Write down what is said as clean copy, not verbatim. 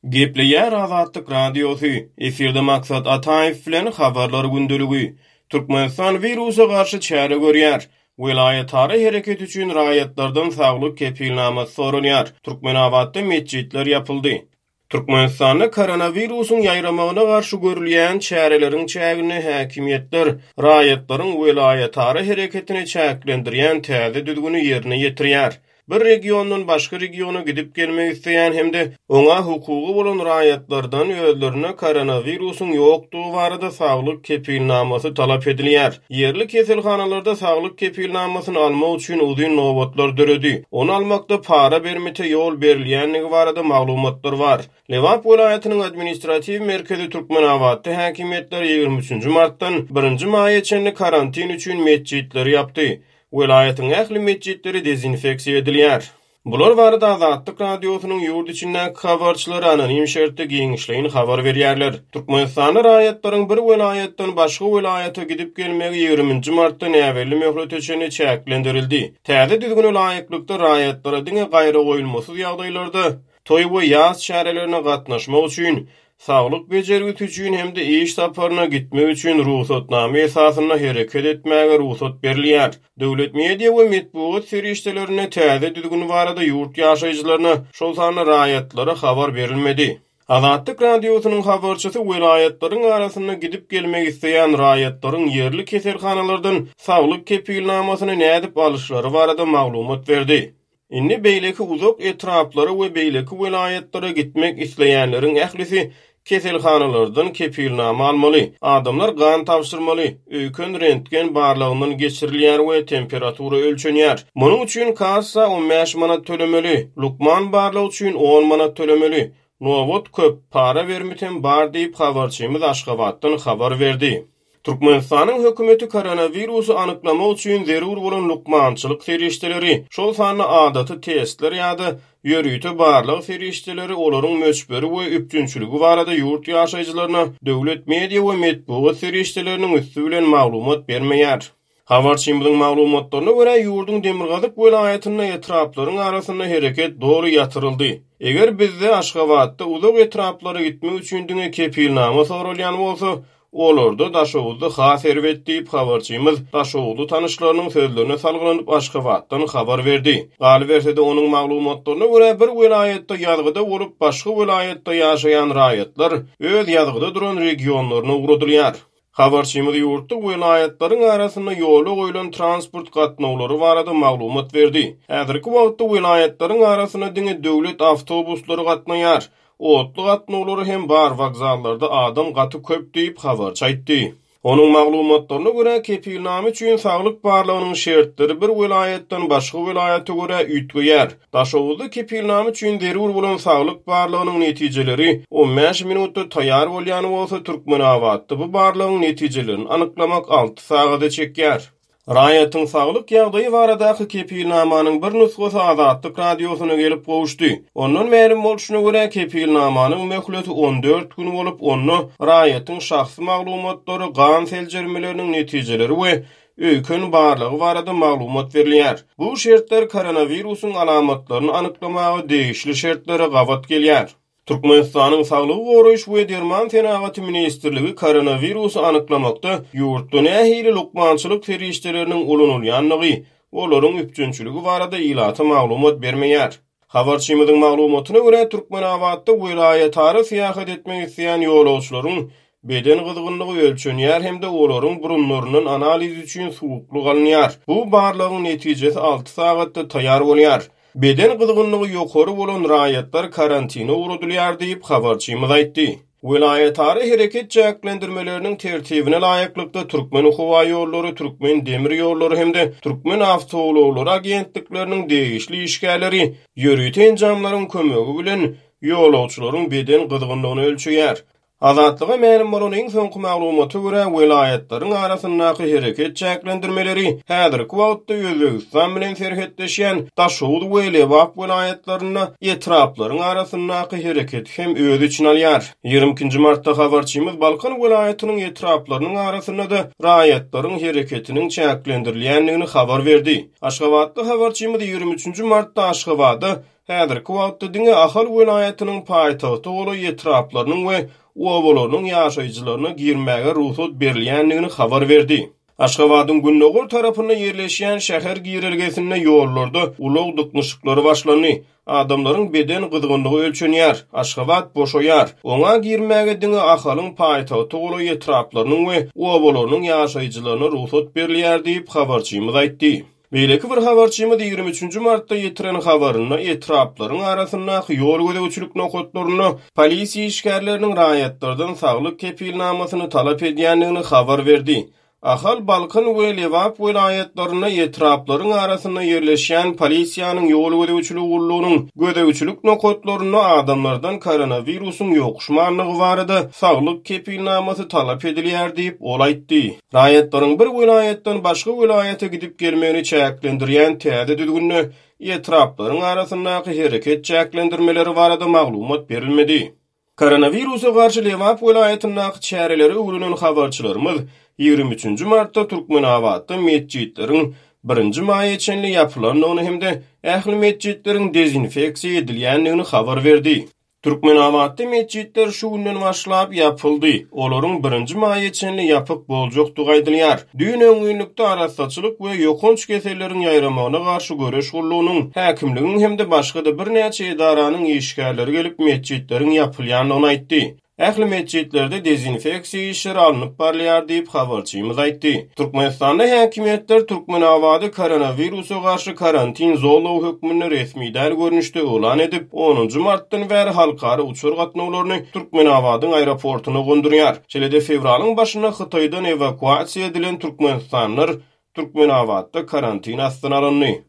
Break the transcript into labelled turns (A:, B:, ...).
A: Gepleýär Azatlyk Radiosy, efirde Maksat Ataýew bilen Habarlar gündeligi. Türkmenistan wirusa garşy çäre görýär. Welaýatara hereket üçin raýatlardan saglyk kepilnamasy soralýar. Türkmenabatda metjitler ýapyldy. Türkmenistanda koronawirusyň ýaýramagyna garşy görülýän çäreleriň çäginde häkimiýetler raýatlaryň welaýatara hereketini çäklendirýän täze düzgüni ýerine ýetirýär. Bir regiondan başga regiona gidip gelmek isleýän hem-de oňa hukugy bolan raýatlardan özlerinde koronawirusyň ýokdugy barada saglyk kepilnamasy talap edilýär. Ýerli keselhanalarda saglyk kepilnamasyny almak üçin uzyn nobatlar döredi. Ony almakda para bermite ýol berilýändigi barada maglumatlar bar. Lebap welaýatynyň administratiw merkezi Türkmenabatda häkimiýetler 23 nji martdan birinji maýa çenli karantin üçin metjitleri ýapdy. Welaýatyň ähli metjitleri dezinfeksiýa edilýär. Bular barada Azatlyk Radiosynyň ýurt içindäki habarçylary anonim şertde giňişleýin habar berýärler. Türkmenistanda raýatlaryň bir welaýatdan başga welaýata gidip gelmegi 20 nji martda näbelli möhlete çenli çäklendirildi. Täze düzgüne laýyklykda, raýatlara diňe gaýragoýulmasyz ýagdaýlarda toý we ýas çärelerine gatnaşmak üçin, saglyk bejergisi üçin hem-de iş saparyna gitmek üçin rugsatnama esasynda hereket etmäge rugsat berilýär. Döwlet media we metbugat serişdelerinde täze düzgün barada ýurt ýaşaýjylaryna, şol sanda raýatlara habar berilmedi. Azatlyk Radiosynyň habarçysy welaýatlaryň arasynda gidip-gelmek isleýän raýatlaryň ýerli keselhanalardan saglyk kepilnamasyny nädip alyşlary barada maglumat berdi. Indi beýleki uzak etraplara we beýleki welaýatlara gitmek isleýänleriň ählisi keselhanalardan kepilnama almaly. Adamlar gan tabşyrmaly, öýken rentgen barlagyndan geçirilýär we temperatura ölçenýär. Munuň üçin kassa 15 manat tölemeli, lukman barlagy üçin on manat tölemeli. Nobat köp, para bermitem bar diýip, habarçymyz Aşgabatdan habar berdi. Türkmenistanyň hökümeti koronawirusy anyklamak üçin zerur bolan lukmançylyk serişdeleri, şol sanda adaty testler ýa-da ýörite barlag serişdeleri, olaryň möçberi we üpjünçiligi barada ýurt ýaşaýjylaryna döwlet media we metbugat serişdeleriniň üsti bilen maglumat bermeýär. Habarçymyzyň maglumatlaryna görä, ýurduň demirgazyk welaýatynda etraplaryň arasynda hereket doly ýatyryldy. Eger bizde, Aşgabatda uzak etraplara gitmek üçin diňe kepilnama soralýan bolsa, olarda, Daşoguzda has erbet diýip, habarçymyz daşoguzly tanyşlarynyň sözlerine salgylanyp, Aşgabatdan habar berdi. Galyberse-de, onuň maglumatlaryna görä, bir welaýatda ýazgyda bolup, başga welaýatda ýaşaýan raýatlar öz ýazgyda duran regionlaryna ugradylýar. Habarçymyz ýurtda welaýatlaryň arasynda ýola goýlan transport gatnawlary barada maglumat berdi. Häzirki wagtda welaýatlaryň arasynda diňe döwlet awtobuslary gatnaýar. Otly gatnawlary hem bar, wokzallarda adam gaty köp diýip, habarçy aýtdy. Onuň maglumatlaryna görä, kepilnama üçin saglyk barlagynyň şertleri bir welaýatdan başga welaýata görä üýtgeýär. Daşoguzda kepilnama üçin zerur bolan saglyk barlagynyň netijeleri 15 minutda taýýar bolýan bolsa, Türkmenabatda bu barlagyň netijelerini anyklamak alty sagada çekýär. Raýatyň saglyk ýagdaýy baradaky kepilnamanyň bir nusgasy Azatlyk Radiosyna gelip gowuşdy. Ondan mälim bolşuna görä, kepilnamanyň möhleti 14 gün bolup, onda raýatyň şahsy maglumatlary, gan seljermeleriniň netijeleri we öýken barlagy barada maglumat berilýär. Bu şertler koronawirusyň alamatlaryny anyklamaga degişli şertlere gabat gelýär. Türkmenistanyň Saglygy goraýyş we derman senagaty ministrligi koronawirusy anyklamakda ýurtda nähili lukmançylyk serişdeleriniň ulanylýandygy, olaryň üpjünçiligi barada ilata maglumat bermeýär. Habarçymyzyň maglumatyna görä, Türkmenabatda welaýatara syýahat etmek isleýän ýolagçylaryň beden gyzgynlygy ölçenýär hem-de olaryň burunlaryndan analiz üçin suwuklyk alynýar. Bu barlagyň netijesi alty sagatda taýýar bolýar. Beden gyzgynlygy ýokary bolan raýatlar karantine ugradylýar diýip, habarçymyz aýtdy. Welaýatara hereket çäklendirmeleriniň tertibine laýyklykda, Türkmenhowaýollary, Türkmendemirýollary hem-de Türkmenawtoulaglary agentlikleriniň degişli işgärleri ýörite enjamlaryň kömegi bilen ýolagçylaryň beden gyzgynlygyny ölçeýär. Azatlyga mälim bolan iň soňky maglumata görä, welaýatlaryň arasyndaky hereket çäklendirmeleri häzirki wagtda Özbegistan bilen serhetleşýän Daşoguz we Lebap welaýatlarynda etraplaryň arasyndaky hereketi hem öz içine alýar. 22-nji martda habarçymyz Balkan welaýatynyň etraplarynyň arasynda-da raýatlaryň hereketiniň çäklendirilýändigini habar berdi. Aşgabatly habarçymyz 23-nji martda Aşgabada Häzirki wagtda diňe Ahal welaýatynyň paýtagta golaý etraplarynyň we obalarynyň ýaşaýjylaryna girmäge rugsat berilýändigini habar berdi. Aşgabadyň gündogar tarapynda ýerleşýän şäher girelgesinde ýollarda ulag dyknyşyklary başlandy. Adamlaryň beden gyzgynlygy ölçenýär. Aşgabat boşaýar. Oňa girmäge diňe Ahalyň paýtagta golaý etraplarynyň we obalarynyň ýaşaýjylaryna rugsat berilýär diýip, habarçymyz aýtdy. Beýleki bir habarçymyz 23 nji martda ýetiren habarynda etraplaryň arasyndaky ýol gözegçilik nokatlarynda polisiýa işgärleriniň raýatlardan saglyk kepilnamasyny talap edýändigini habar berdi. Ahal, Balkan we Lebap welaýatlarynda etraplaryň arasynda ýerleşýän polisiýanyň ýol gözegçiligi gullugynyň gözegçilik nokatlarynda adamlardan koronawirusyň ýokuşmandygy barada saglyk kepilnamasy talap edilýär diýip, ol aýtdy. Raýatlaryň bir welaýatdan başga welaýata gidip gelmegini çäklendirýän täze düzgünde etraplaryň arasyndaky hereket çäklendirmeleri barada maglumat berilmedi. Koronawirusa garşy Lebap welaýatyndaky çäreleri öwrenen habarçylarymyz 23 nji martda Türkmenabatda metjitleriň birinji maýa çenli ýapylandygyny hem-de ähli metjitleriň dezinfeksiýa edilýändigini habar berdi. Türkmenabatda metjitler şu günden başlap ýapyldy. Olaryň birinji maýa çenli ýapyk boljakdygy aýdylýar. Düýn öňňinlikde Arassaçylyk we ýokanç keselleriň ýaýramagyna garşy göreş gullugynyň, häkimligiň hem-de başga-da birnäçe edaranyň işgärleri gelip metjitleriň ýapylýandygyny aýtdy. Ähli metjitlerde dezinfeksiýa işleri alnyp barylýar diýip, habarçymyz aýtdy. Türkmenistanda häkimiýetler Türkmenabady koronawirusa garşy karantin zolagy hökmünde resmi däl görnüşde yglan edip, onunjy martdan bäri halkara uçar gatnawlaryny Türkmenabadyň aeroportuna gondurýar. Şeýle-de fewralyň başynda Hytaýdan ewakuasiýa edilen türkmenistanlylar Türkmenabatda karantin astyna alyndy.